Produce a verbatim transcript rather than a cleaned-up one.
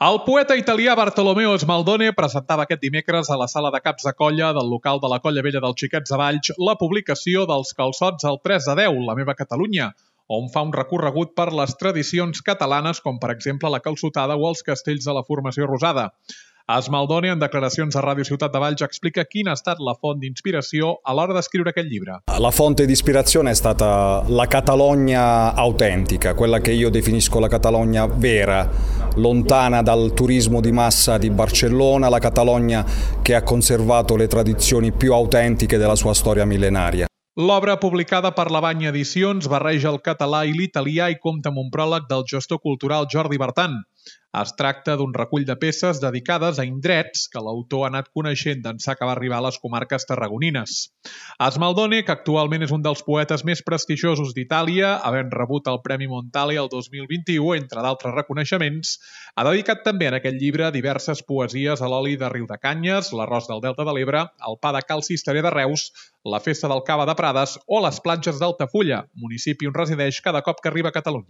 El poeta italià Bartolomeo Smaldone presentava aquest dimecres a la sala de caps de colla del local de la Colla Vella dels Xiquets de Valls la publicació dels calçots al tres de deu, La meva Catalunya, on fa un recorregut per les tradicions catalanes com per exemple la calçotada o els castells de la formació rosada. Smaldone, en declaracions a Ràdio Ciutat de Valls, explica quina ha estat la font d'inspiració a l'hora d'escriure aquest llibre. La fonte di ispirazione è stata la Catalogna autentica, quella che io definisco la Catalogna vera, lontana dal turismo di massa di Barcellona, la Catalogna che ha conservato le tradizioni più autentiche della sua storia millenaria. L'obra, publicada per la Banya Edicions, barreja el català i l'italià i compta amb un pròleg del gestor cultural Jordi Bertan. Es tracta d'un recull de peces dedicades a indrets que l'autor ha anat coneixent d'ençà que va arribar a les comarques tarragonines. Smaldone, que actualment és un dels poetes més prestigiosos d'Itàlia, havent rebut el Premi Montale el dos mil vint-i-u, entre d'altres reconeixements, ha dedicat també en aquest llibre diverses poesies a l'oli de Riudecanyes, l'arròs del Delta de l'Ebre, el pa de Cal Cisterer de Reus, la festa del Cava de Prades o les platges d'Altafulla, municipi on resideix cada cop que arriba a Catalunya.